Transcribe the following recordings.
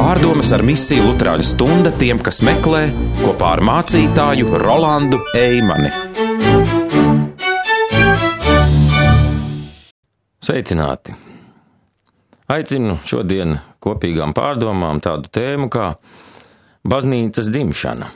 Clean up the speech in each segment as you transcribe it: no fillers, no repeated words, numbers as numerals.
Pārdomas ar misiju Luterāņu stunda tiem, kas meklē, kopā ar mācītāju Rolandu Eimani. Sveicināti! Aicinu šodien kopīgām pārdomām tādu tēmu kā baznīcas dzimšana.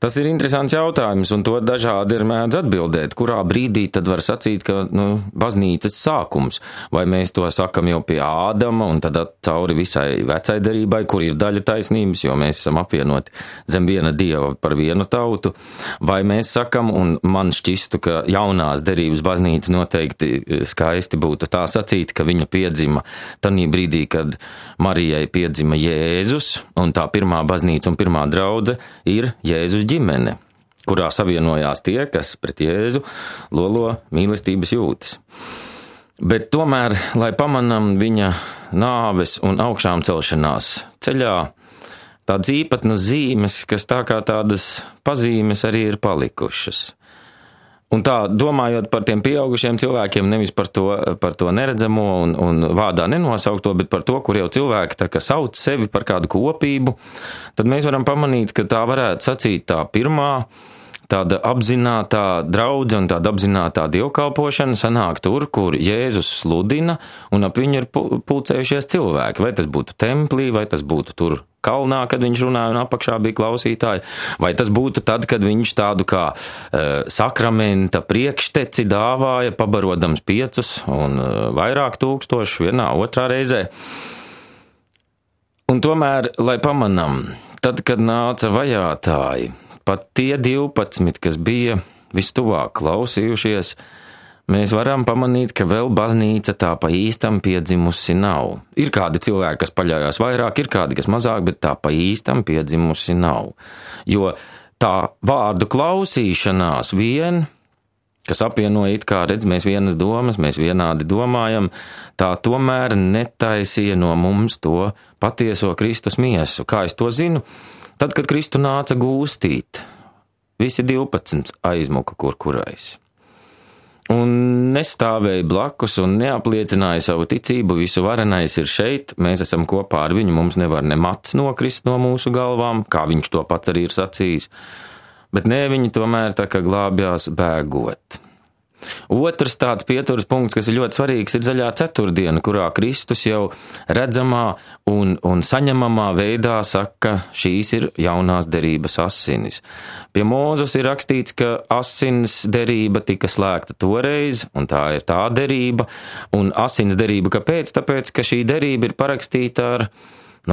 Tas ir interesants jautājums, un to dažādi ir mēdz atbildēt, kurā brīdī tad var sacīt, ka baznīcas sākums, vai mēs to sakam jau pie Ādama, un tad cauri visai vecai derībai, kur ir daļa taisnības, jo mēs esam apvienoti zem viena dieva par vienu tautu, vai mēs sakam, un man šķistu, ka jaunās derības baznīca noteikti skaisti būtu tā sacīt, ka viņa piedzima tanī brīdī, kad Marijai piedzima Jēzus, un tā pirmā baznīca un pirmā draudze ir Jēzus ģimene, kurā savienojās tie, kas pret Jēzu lolo mīlestības jūtas. Bet tomēr, lai pamanam viņa nāves un augšām celšanās ceļā, tādas īpatnas zīmes, kas tā kā tādas pazīmes arī ir palikušas. Un tā, domājot par tiem pieaugušiem cilvēkiem, nevis par to neredzamo un vārdā nenosaukto, bet par to, kur jau cilvēki tā kā sauc sevi par kādu kopību, tad mēs varam pamanīt, ka tā varētu sacīt tā pirmā, tāda apzinātā draudze un tāda apzinātā dievkalpošana sanāk tur, kur Jēzus sludina un ap viņu ir pulcējušies cilvēki. Vai tas būtu templī, vai tas būtu tur kalnā, kad viņš runāja un apakšā bija klausītāji, vai tas būtu tad, kad viņš tādu kā sakramenta priekšteci dāvāja, pabarodams 5 un vairāk tūkstošu vienā otrā reizē. Un tomēr, lai pamanam, tad, kad nāca vajātāji, pat tie 12, kas bija vistuvāk klausījušies, mēs varam pamanīt, ka vēl baznīca tā pa īstam piedzimusi nav. Ir kādi cilvēki, kas paļaujās vairāk, ir kādi, kas mazāk, bet tā pa īstam piedzimusi nav. Jo tā vārdu klausīšanās vien, kas apvienoja it kā redz, mēs vienas domas, mēs vienādi domājam, tā tomēr netaisīja no mums to patieso Kristus miesu. Kā es to zinu? Tad, kad Kristu nāca gūstīt, visi 12 aizmuka kurais. Un nestāvēja blakus un neapliecināja savu ticību, visu varenais ir šeit, mēs esam kopā ar viņu, mums nevar ne mats nokrist no mūsu galvām, kā viņš to pats arī ir sacījis, bet ne, viņi tomēr tā kā glābjās bēgot. Otrs tāds pieturas punkts, kas ir ļoti svarīgs, ir zaļā ceturtdiena, kurā Kristus jau redzamā un saņemamā veidā saka, šīs ir jaunās derības asinis. Pie Mūzes ir rakstīts, ka asins derība tika slēgta toreiz, un tā ir tā derība, un asins derība kāpēc? Tāpēc, ka šī derība ir parakstīta ar,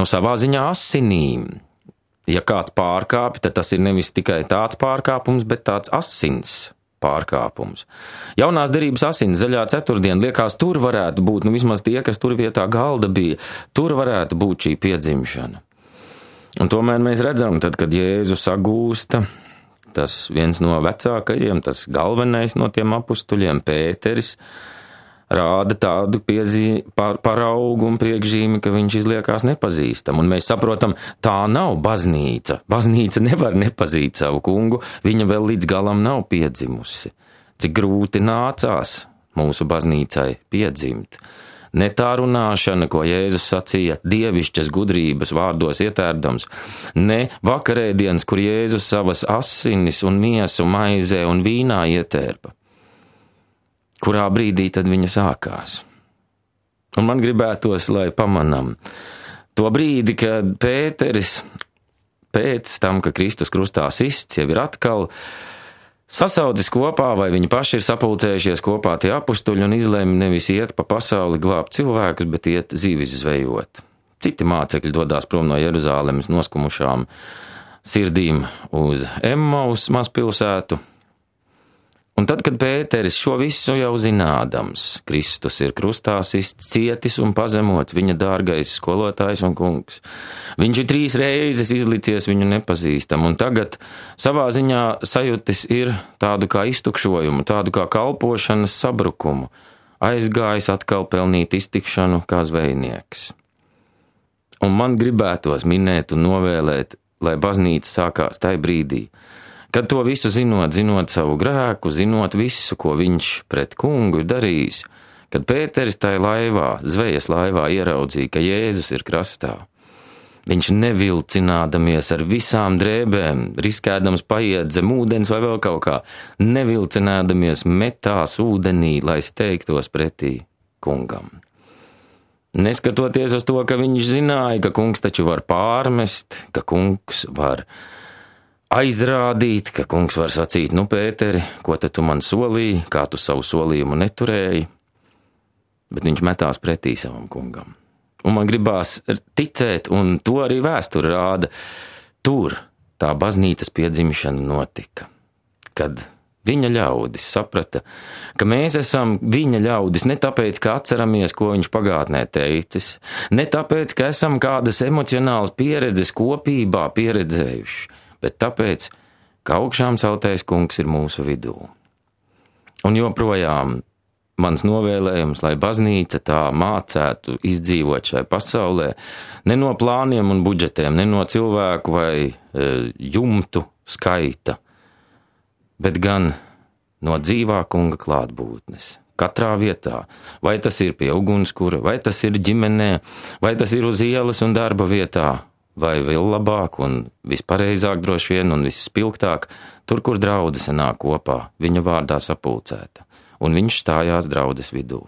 savā ziņā asinīm. Ja kāds pārkāpj, tad tas ir nevis tikai tāds pārkāpums, bet tāds asins pārkāpums. Jaunās derības asins zaļā ceturtdiena, liekas, tur varētu būt, vismaz tie, kas tur pie tā galda bija, tur varētu būt šī piedzimšana. Un tomēr mēs redzam, tad, kad Jēzu sagūsta, tas viens no vecākajiem, tas galvenais no tiem apustuļiem, Pēteris, rāda tādu paraugu un priekšzīmi, ka viņš izliekās nepazīstam. Un mēs saprotam, tā nav baznīca. Baznīca nevar nepazīt savu kungu, viņa vēl līdz galam nav piedzimusi. Cik grūti nācās mūsu baznīcai piedzimt. Ne tā runāšana, ko Jēzus sacīja, dievišķas gudrības vārdos ietērdams, ne vakarēdienas, kur Jēzus savas asinis un miesu maizē un vīnā ietērpa. Kurā brīdī tad viņa sākās. Un man gribētos, lai pamanam to brīdi, kad Pēteris pēc tam, ka Kristus krustā sists, jau ir atkal sasaucis kopā, vai viņi paši ir sapulcējušies kopā tie apustuļi un izlēma nevis iet pa pasauli glābt cilvēkus, bet iet zīvis zvejot. Citi mācekļi dodās prom no Jeruzālemes noskumušām sirdīm uz Emmaus mazpilsētu. Un tad, kad Pēteris šo visu jau zinādams, Kristus ir krustā sists, cietis un pazemots, viņa dārgais skolotājs un kungs. Viņš ir 3 reizes izlicies viņu nepazīstam, un tagad savā ziņā sajutis ir tādu kā iztukšojumu, tādu kā kalpošanas sabrukumu, aizgājis atkal pelnīt iztikšanu kā zvejnieks. Un man gribētos minēt un novēlēt, lai baznīca sākās tai brīdī, kad to visu zinot savu grēku, zinot visu, ko viņš pret kungu ir darījis, kad Pēteris tajā laivā, zvejas laivā ieraudzīja, ka Jēzus ir krastā. Viņš nevilcinādamies ar visām drēbēm, riskēdams paiet zem ūdens vai vēl kaut kā, nevilcinēdamies metās ūdenī, lai steigtos pretī kungam. Neskatoties uz to, ka viņš zināja, ka kungs taču var pārmest, ka kungs var aizrādīt, ka kungs var sacīt, nu, Pēteri, ko tad tu man solīji, kā tu savu solījumu neturēji, bet viņš metās pretī savam kungam. Un man gribās ticēt, un to arī vēsture rāda, tur tā baznīcas piedzimšana notika, kad viņa ļaudis saprata, ka mēs esam viņa ļaudis ne tāpēc, ka atceramies, ko viņš pagātnē teicis, ne tāpēc, ka esam kādas emocionālas pieredzes kopībā pieredzējuši, bet tāpēc, ka augšām celtais kungs ir mūsu vidū. Un joprojām mans novēlējums, lai baznīca tā mācētu izdzīvot šai pasaulē, ne no plāniem un budžetiem, ne no cilvēku vai jumtu skaita, bet gan no dzīvā kunga klātbūtnes. Katrā vietā, vai tas ir pie ugunskura, vai tas ir ģimenē, vai tas ir uz ielas un darba vietā, vai vēl labāk un vispareizāk droši vien un visspilgtāk, tur, kur draudze sanāk kopā, viņa vārdā sapulcēta, un viņš stājās draudzes vidū.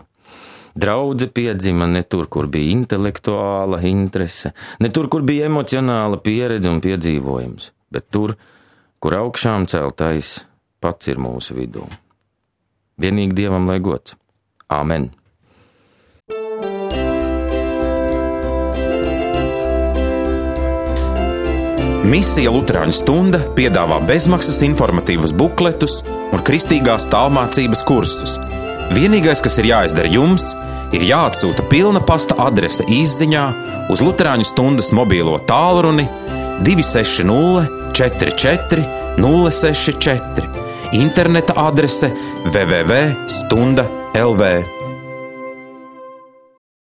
Draudze piedzima ne tur, kur bija intelektuāla interese, ne tur, kur bija emocionāla pieredze un piedzīvojums, bet tur, kur augšām celtais pats ir mūsu vidū. Vienīgi Dievam lai gods. Āmen. Misija Luterāņu stunda piedāvā bezmaksas informatīvas bukletus un kristīgās tālmācības kursus. Vienīgais, kas ir jāizdara jums, ir jāatsūta pilna pasta adrese izziņā uz Luterāņu stundas mobīlo tālruni 260 44 064, interneta adrese www.stunda.lv.